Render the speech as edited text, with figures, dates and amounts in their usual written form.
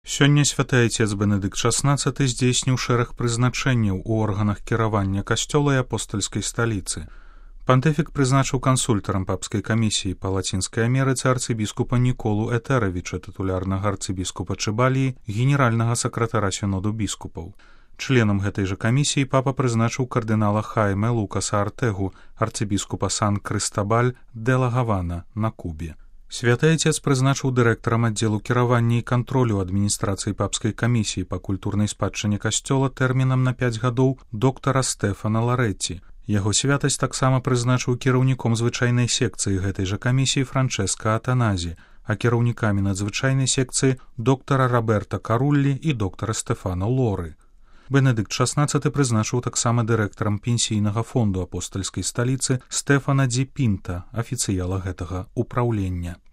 Сёння святы айцец Бенедыкт XVI здзейсніў шэраг прызначэнняў у органах кіравання касцёла і апостальскай сталіцы. Пантыфік прызначыў кансультарам папскай камісіі па Лацінскай Амерыцы арцыбіскупа Ніколу Этэравіча, тытулярнага арцыбіскупа Чыбаліі, генеральнага сакратара сіноду біскупаў. Членам гэтай жа камісіі папа прызначыў кардынала Хайме Лукаса Артэгу, арцыбіскупа Сан-Крыстабаль де ла Гавана на Кубе. Святы айцец прызначыў дырэктарам аддзелу кіравання і кантролю адміністрацыі папскай камісіі па культурнай спадчыне касцёла тэрмінам на 5 гадоў доктара Стэфана Ларэтці. Яго святасць таксама прызначыў кіраўніком звычайнай секцыі гэтай жа камісіі Франчэска Атаназі, а кіраўнікамі надзвычайнай секцыі доктара Роберта Каруллі і доктара Стэфана Лоры. Бенедыкт XVI прызначыў таксама дырэктарам пенсійнага фонду апостальскай сталіцы Стэфана Дзі Пінта, афіцыяла гэтага ўпраўлення.